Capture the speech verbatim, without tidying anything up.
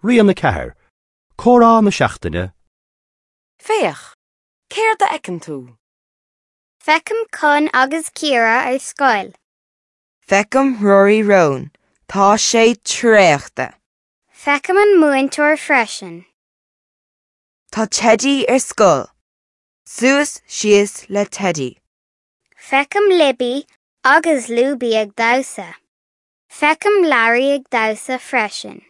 Rian a ceathair, Comhrá na seachtaine, Féach, céard a fheiceann tú? Feicim Con agus Ciara ar scoil. Feicim Rory Rón, Tá sé traochta. Feicim an múinteoir freisin. Tá Teddy ar scoil. Suas síos le Teddy. Feicim Libby agus Lúby ag damhsa. Feicim Larry ag damhsa freisin.